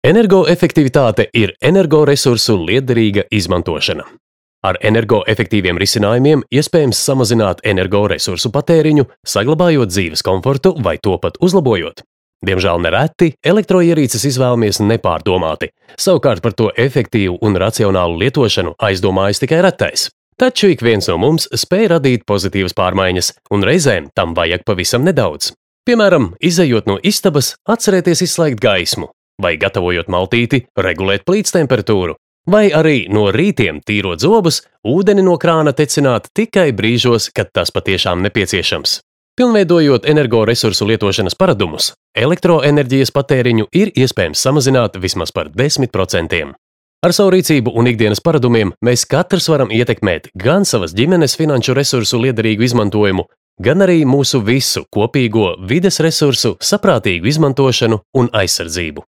Energoefektivitāte ir energoresursu lietderīga izmantošana. Ar energoefektīviem risinājumiem iespējams samazināt energoresursu patēriņu, saglabājot dzīves komfortu vai to pat uzlabojot. Diemžēl nereti elektroierīces izvēlamies nepārdomāti, savukārt par to efektīvu un racionālu lietošanu aizdomājas tikai retais. Taču ik viens no mums spēj radīt pozitīvas pārmaiņas, un reizēm tam vajag pavisam nedaudz. Piemēram, izejot no istabas, atcerēties izslēgt gaismu, vai gatavojot maltīti, regulēt plīts temperatūru, vai arī no rītiem tīrot zobus, ūdeni no krāna tecināt tikai brīžos, kad tas patiešām nepieciešams. Pilnveidojot energoresursu lietošanas paradumus, elektroenerģijas patēriņu ir iespējams samazināt vismaz par 10%. Ar savu rīcību un ikdienas paradumiem mēs katrs varam ietekmēt gan savas ģimenes finanšu resursu lietderīgu izmantojumu, gan arī mūsu visu kopīgo vides resursu saprātīgu izmantošanu un aizsardzību.